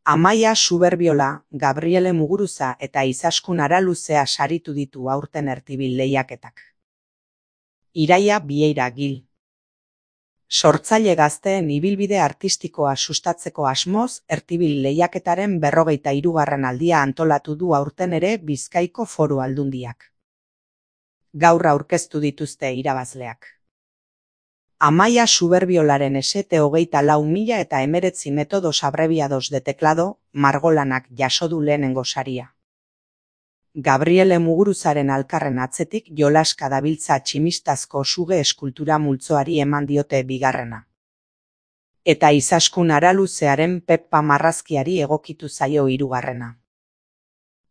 Amaia Suberbiola, Gabriele Muguruza eta Izaskun Araluzea saritu ditu aurten Ertibil lehiaketak. Iraia Bieira Gil. Sortzaile gazteen ibilbide artistikoa sustatzeko asmoz, Ertibil lehiaketaren 43. aldia antolatu du aurten ere Bizkaiko Foru Aldundiak. Gaur aurkeztu dituzte irabazleak. Amaia Suberbiolaren esete 24.019 metodos abreviados de teclado, margolanak jaso du lehenengo saria. Gabriele Muguruzaren alkarren atzetik jolaska dabiltza tximistazko suge eskultura multzoari eman diote bigarrena. Eta Izaskun Araluzearen Peppa marrazkiari egokitu zaio hirugarrena.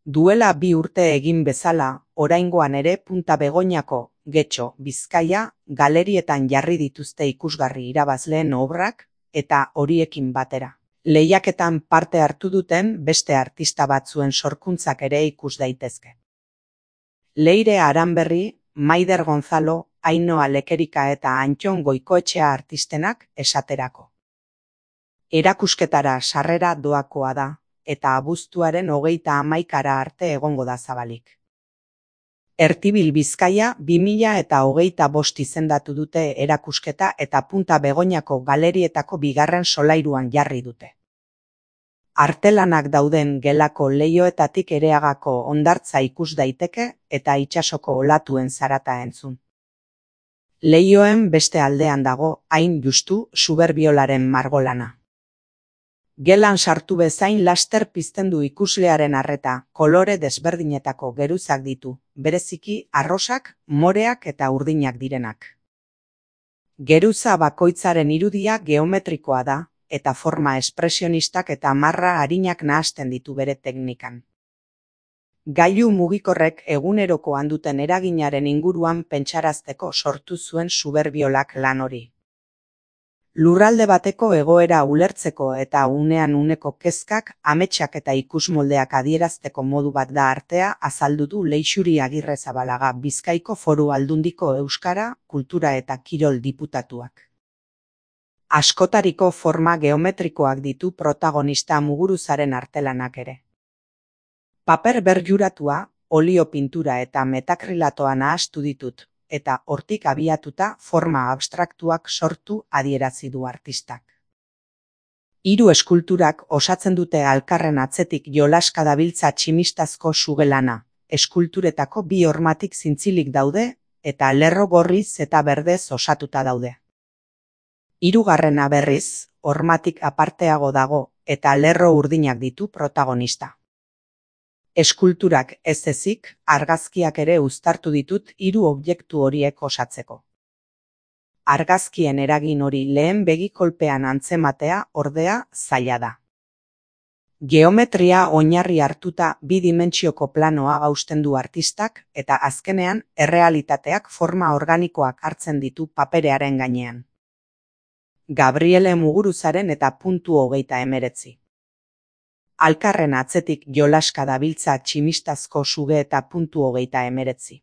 Duela 2 urte egin bezala, oraingoan ere Punta Begoñako, Getxo, Bizkaia, galerietan jarri dituzte ikusgarri irabazleen obrak, eta horiekin batera. Lehiaketan parte hartu duten beste artista batzuen sorkuntzak ere ikus daitezke. Leire Aranberri, Maider Gonzalo, Ainhoa Lekerika eta Antxon Goikoetxea artistenak esaterako. Erakusketara sarrera doakoa da, eta abuztuaren 31 arte egongo da zabalik. Ertibil Bizkaia 2025 izendatu dute erakusketa eta Punta Begoñako galerietako bigarren solairuan jarri dute. Artelanak dauden gelako leihoetatik Ereagako hondartza ikus daiteke eta itsasoko olatuen zarata entzun. Leihoen beste aldean dago, hain justu, Suberbiolaren margolana. Gelan sartu bezain laster pizten du ikuslearen arreta, kolore desberdinetako geruzak ditu, bereziki arrosak, moreak eta urdinak direnak. Geruza bakoitzaren irudia geometrikoa da, eta forma espresionistak eta marra arinak nahasten ditu bere teknikan. Gailu mugikorrek egunerokoan duten eraginaren inguruan pentsarazteko sortu zuen Suberbiolak lan hori. Lurralde bateko egoera ulertzeko eta unean uneko kezkak, ametsak eta ikusmoldeak adierazteko modu bat da artea azaldu du Leixuri Agirrezabalaga Bizkaiko Foru Aldundiko Euskara, Kultura eta Kirol diputatuak. Askotariko forma geometrikoak ditu protagonista Muguruzaren artelanak ere. Paper berjuratua, olio pintura eta metakrilatoa nahastu ditut, eta hortik abiatuta forma abstraktuak sortu adierazi du artistak. 3 eskulturak osatzen dute alkarren atzetik jolaska dabiltza tximistazko sugelana, eskulturetako 2 hormatik zintzilik daude, eta lerro gorriz eta berdez osatuta daude. 3. berriz, hormatik aparteago dago, eta lerro urdinak ditu protagonista. Eskulturak ez ezik, argazkiak ere uztartu ditut 3 objektu horiek osatzeko. Argazkien eragin hori lehen begikolpean antzematea ordea zaila da. Geometria oinarri hartuta 2 dimentsioko planoa hausten du artistak eta azkenean errealitateak forma organikoak hartzen ditu paperearen gainean. Gabriele Muguruzaren eta Puntu 39. Alkarren atzetik jolaska dabiltza tximistazko suge eta Puntu 39.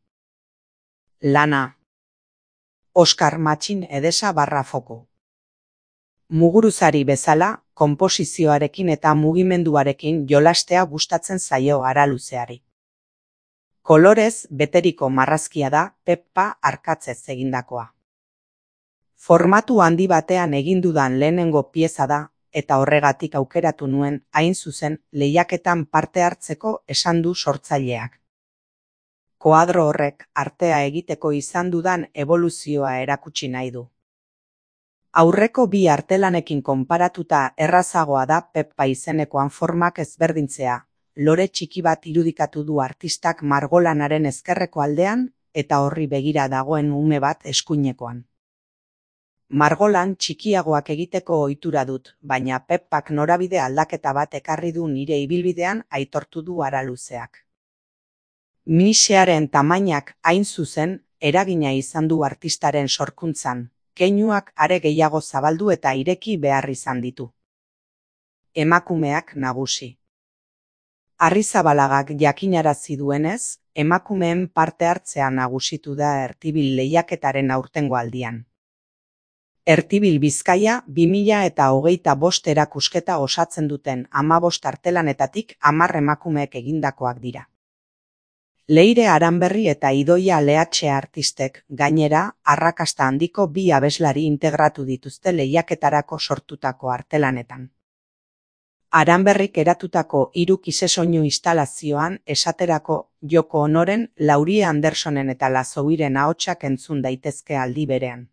Lana. Oskar Matxin Edesa /Foko. Muguruzari bezala, konposizioarekin eta mugimenduarekin jolastea gustatzen zaio Araluzeari. Kolorez beteriko marrazkia da Peppa arkatzez egindakoa. Formatu handi batean egin dudan lehenengo pieza da, eta horregatik aukeratu nuen, hain zuzen, lehiaketan parte hartzeko esan du sortzaileak. Koadro horrek artea egiteko izan dudan eboluzioa erakutsi nahi du. Aurreko 2 artelanekin konparatuta errazagoa da Peppa izenekoan formak ezberdintzea, lore txiki bat irudikatu du artistak margolanaren ezkerreko aldean, eta horri begira dagoen ume bat eskuinekoan. Margolan txikiagoak egiteko ohitura dut, baina Peppak norabide aldaketa bat ekarri du nire ibilbidean aitortu du Araluzeak. Minisearen tamainak hain zuzen eragina izan du artistaren sorkuntzan, keinuak are gehiago zabaldu eta ireki behar izan ditu. Emakumeak nagusi. Arrizabalagak jakinarazi duenez, emakumeen parte hartzea nagusitu da Ertibil lehiaketaren aurtengo aldian. Ertibil Bizkaia 2025 erakusketa osatzen duten 15 artelanetatik 10 emakumeek egindakoak dira. Leire Aranberri eta Idoia Leatxe artistek, gainera, arrakasta handiko 2 abeslari integratu dituzte lehiaketarako sortutako artelanetan. Aranberrik eratutako 3 kisesoinu instalazioan esaterako Joko Onoren, Laurie Andersonen eta Lazouiren ahotsak entzun daitezke aldi berean.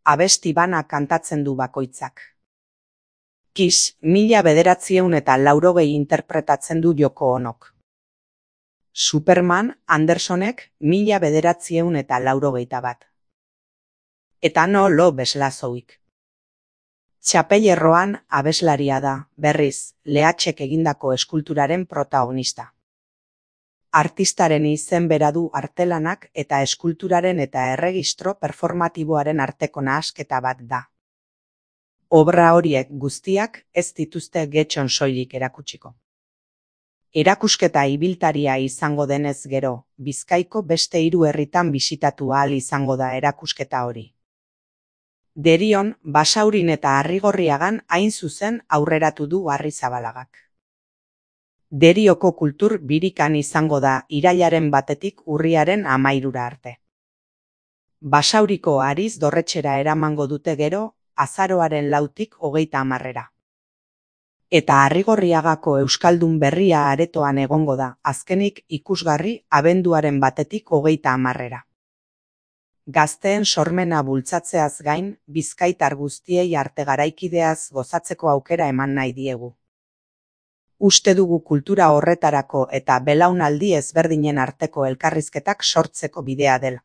Abesti bana kantatzen du bakoitzak. Kiss 1980 interpretatzen du Joko Onok. Superman Andersonek 1981. Eta No Lo Bezlazouik. Txapellerroan abeslaria da, berriz, Leatxek egindako eskulturaren protagonista. Artistaren izen bera du artelanak eta eskulturaren eta erregistro performatiboaren arteko nahasketa bat da. Obra horiek guztiak ez dituzte getxon soilik erakutsiko. Erakusketa ibiltaria izango denez gero, Bizkaiko beste 3 herritan bisitatu ahal izango da erakusketa hori. Derion, Basaurin eta Arrigorriagan hain zuzen aurreratu du Arrizabalagak. Derioko kultur birikan izango da irailaren 1 urriaren 13 arte. Basauriko Ariz dorretxera eramango dute gero, azaroaren 4tik 30. Eta Arrigorriagako Euskaldun Berria aretoan egongo da, azkenik ikusgarri abenduaren 1tik 30. Gazteen sormena bultzatzeaz gain, bizkaitar guztiei arte garaikideaz gozatzeko aukera eman nahi diegu. Uste dugu kultura horretarako eta belaunaldi ezberdinen arteko elkarrizketak sortzeko bidea dela.